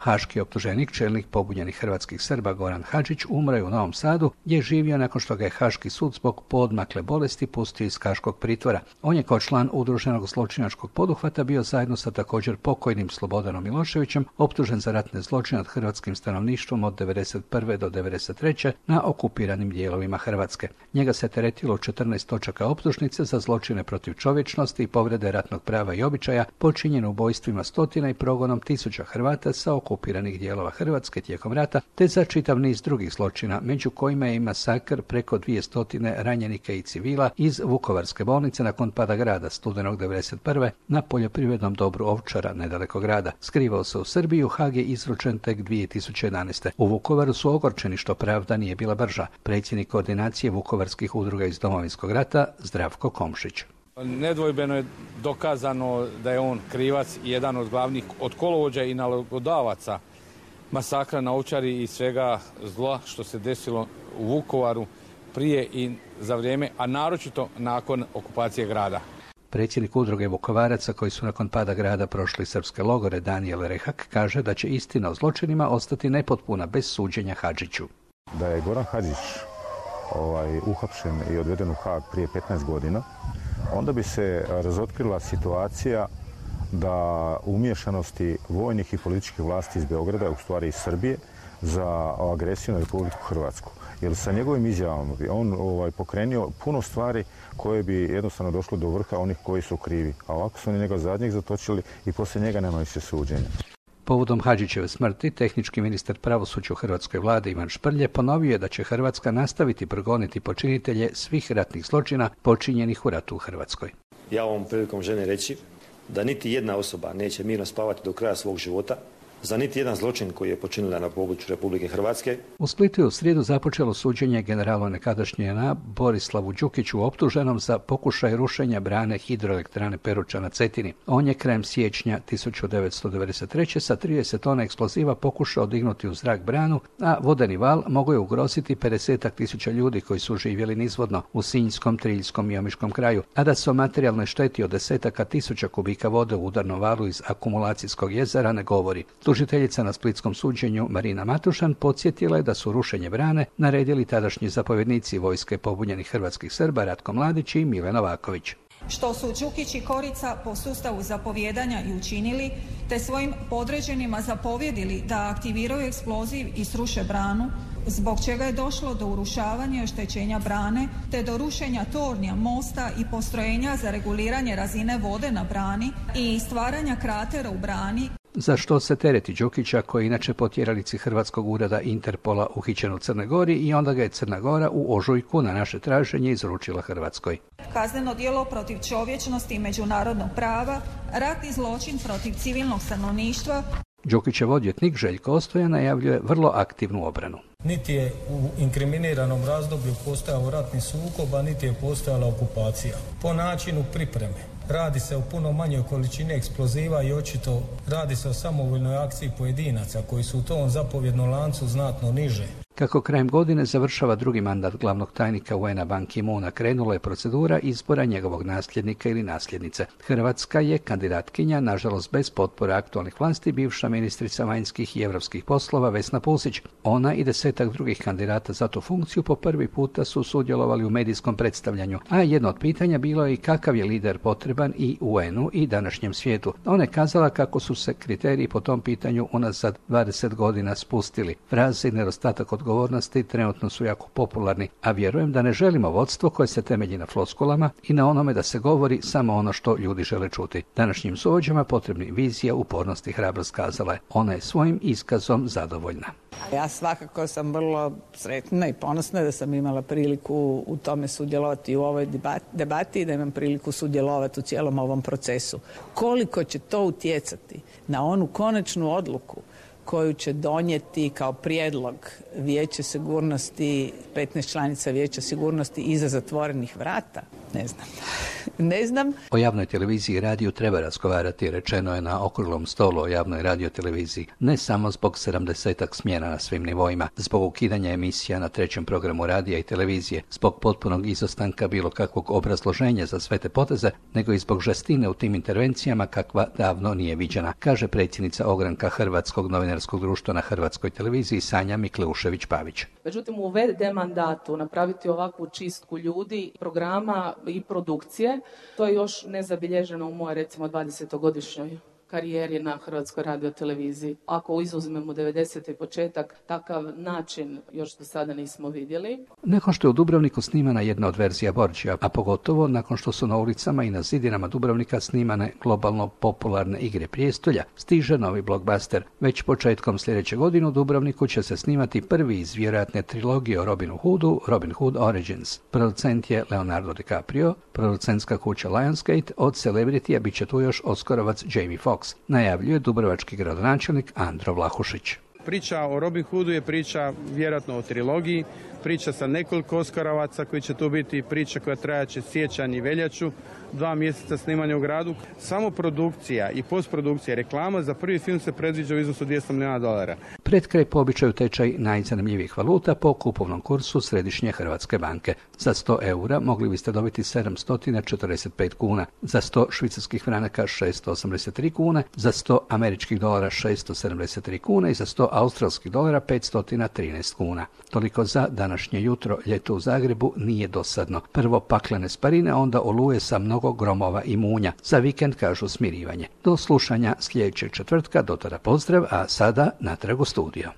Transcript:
Haški optuženik, čelnik pobunjenih hrvatskih Srba Goran Hadžić, umro je u Novom Sadu, gdje je živio nakon što ga je Haški sud zbog poodmakle bolesti pustio iz haškog pritvora. On je kao član udruženog zločinačkog poduhvata bio zajedno sa također pokojnim Slobodanom Miloševićem optužen za ratne zločine nad hrvatskim stanovništvom od 1991. do 1993. na okupiranim dijelovima Hrvatske. Njega se teretilo 14 točaka optužnice za zločine protiv čovječnosti i povrede ratnog prava i običaja, počinjene ubojstvima stotina i progonom tisuća Hrvata sa okupiranih dijelova Hrvatske tijekom rata, te za čitav niz drugih zločina, među kojima je i masakr preko 200 ranjenika i civila iz Vukovarske bolnice nakon pada grada studenog 1991. na poljoprivrednom dobru Ovčara nedaleko grada. Skrivao se u Srbiji, u Hag je izručen tek 2011. U Vukovaru su ogorčeni što pravda nije bila brža. Predsjednik koordinacije vukovarskih udruga iz Domovinskog rata Zdravko Komšić. Nedvojbeno je dokazano da je on krivac i jedan od glavnih od kolovođa i nalogodavaca masakra na Ovčari i svega zla što se desilo u Vukovaru prije i za vrijeme, a naročito nakon okupacije grada. Predsjednik udruge Vukovaraca koji su nakon pada grada prošli srpske logore Danijel Rehak kaže da će istina o zločinima ostati nepotpuna bez suđenja Hadžiću. Da je Goran Hadžić uhapšen i odveden u Hag prije 15 godina, onda bi se razotkrila situacija da umiješanosti vojnih i političkih vlasti iz Beograda, u stvari iz Srbije, za agresiju na Republiku Hrvatsku. Jer sa njegovim izjavama bi on pokrenio puno stvari koje bi jednostavno došlo do vrha onih koji su krivi. A ovako su oni njega zadnjeg zatočili i poslije njega nema više suđenja. Povodom Hadžićeve smrti, tehnički ministar pravosuđa u hrvatskoj vladi Ivan Šprlje ponovio je da će Hrvatska nastaviti progoniti počinitelje svih ratnih zločina počinjenih u ratu u Hrvatskoj. Ja ovom prilikom želim reći da niti jedna osoba neće mirno spavati do kraja svog života za niti jedan zločin koji je počinila na području Republike Hrvatske. U Splitu je u srijedu započelo suđenje generalu nekadašnje JNA Borislavu Đukiću optuženom za pokušaj rušenja brane hidroelektrane Peruča na Cetini. On je krajem siječnja 1993. sa 30 tona eksploziva pokušao dignuti u zrak branu, a vodeni val mogao je ugroziti 50.000 ljudi koji su živjeli nizvodno u Sinjskom, Triljskom i Omiškom kraju, a da se o materijalnoj šteti od 10.000 kubika vode u udarnom valu iz akumulacijskog jezera ne govori. Tužiteljica na splitskom suđenju Marina Matušan podsjetila je da su rušenje brane naredili tadašnji zapovjednici vojske pobunjenih hrvatskih Srba Ratko Mladić i Mile Novaković. Što su Đukić i Korica po sustavu zapovijedanja i učinili, te svojim podređenima zapovjedili da aktiviraju eksploziv i sruše branu, zbog čega je došlo do urušavanja i oštećenja brane, te do rušenja tornja, mosta i postrojenja za reguliranje razine vode na brani i stvaranja kratera u brani. Za što se tereti Đukića, koji je inače po tjeralici Hrvatskog ureda Interpola uhićen u Crnoj Gori i onda ga je Crna Gora u ožujku na naše traženje izručila Hrvatskoj. Kazneno djelo protiv čovječnosti i međunarodnog prava, ratni zločin protiv civilnog stanovništva. Đukićev odvjetnik Željko Ostoja najavljuje vrlo aktivnu obranu. Niti je u inkriminiranom razdoblju postojao ratni sukob, a niti je postojala okupacija. Po načinu pripreme. Radi se o puno manjoj količini eksploziva i očito radi se o samovoljnoj akciji pojedinaca koji su u tom zapovjednom lancu znatno niže. Kako krajem godine završava drugi mandat glavnog tajnika UN-a Ban Ki-moona, krenula je procedura izbora njegovog nasljednika ili nasljednice. Hrvatska je kandidatkinja, nažalost bez potpore aktualnih vlasti, bivša ministrica vanjskih i europskih poslova Vesna Pusić. Ona i 10 drugih kandidata za tu funkciju po prvi puta su sudjelovali u medijskom predstavljanju, a jedno od pitanja bilo je i kakav je lider potreban i UN-u i današnjem svijetu. Ona je kazala kako su se kriteriji po tom pitanju unazad 20 godina spustili. Fraze i nedostatak odgovornosti trenutno su jako popularni, a vjerujem da ne želimo vodstvo koje se temelji na floskulama i na onome da se govori samo ono što ljudi žele čuti. Današnjim suvođama potrebni vizija, upornost i hrabrost, kazala je. Ona je svojim iskazom zadovoljna. Ja svakako sam vrlo sretna i ponosna da sam imala priliku u tome sudjelovati u ovoj debati i da imam priliku sudjelovati u cijelom ovom procesu. Koliko će to utjecati na onu konačnu odluku koju će donijeti kao prijedlog Vijeće sigurnosti, 15 članica Vijeća sigurnosti iza zatvorenih vrata? Ne znam. O javnoj televiziji i radiju treba razgovarati, rečeno je na okruglom stolu o javnoj radioteleviziji. Ne samo zbog 70-ak smjena na svim nivoima, zbog ukidanja emisija na trećem programu radija i televizije, zbog potpunog izostanka bilo kakvog obrazloženja za sve te poteze, nego i zbog žestine u tim intervencijama kakva davno nije viđena, kaže predsjednica ogranka Hrvatskog novinarskog novinarskog društva na Hrvatskoj televiziji Sanja Mikleušević-Pavić. Međutim, u VD mandatu napraviti ovakvu čistku ljudi, programa i produkcije, to je još nezabilježeno u moje, recimo, 20-godišnjoj karijeri na Hrvatskoj radioteleviziji. Ako izuzmemo 90. početak, takav način još do sada nismo vidjeli. Nakon što je u Dubrovniku snimana jedna od verzija Borgia, a pogotovo nakon što su na ulicama i na zidinama Dubrovnika snimane globalno popularne Igre prijestolja, stiže novi blockbuster. Već početkom sljedeće godine u Dubrovniku će se snimati prvi iz vjerojatne trilogije o Robinu Hoodu, Robin Hood Origins. Producent je Leonardo DiCaprio, producentska kuća Lionsgate, od celebritija bit će tu još Oskarovac Jamie Foxx, najavljuje dubrovački gradonačelnik Andro Vlahušić. Priča o Robin Hoodu je priča vjerojatno o trilogiji, priča sa nekoliko Oskarovaca koji će tu biti, priča koja trajaće siječanj i veljaču, 2 mjeseca snimanja u gradu. Samo produkcija i postprodukcija reklama za prvi film se predviđa u iznosu $200 milijuna. Pred kraj po običaju tečaj najzanimljivijih valuta po kupovnom kursu Središnje Hrvatske banke. Za 100 eura mogli biste dobiti 745 kuna, za 100 švicarskih franaka 683 kune, za 100 američkih dolara 673 kune i za 100 australskih dolara 513 kuna. Toliko za današnje jutro. Ljeto u Zagrebu nije dosadno. Prvo paklene sparine, onda oluje sa mnogo gromova i munja. Za vikend kažu smirivanje. Do slušanja sljedećeg četvrtka, do tada pozdrav, a sada natrag u studio.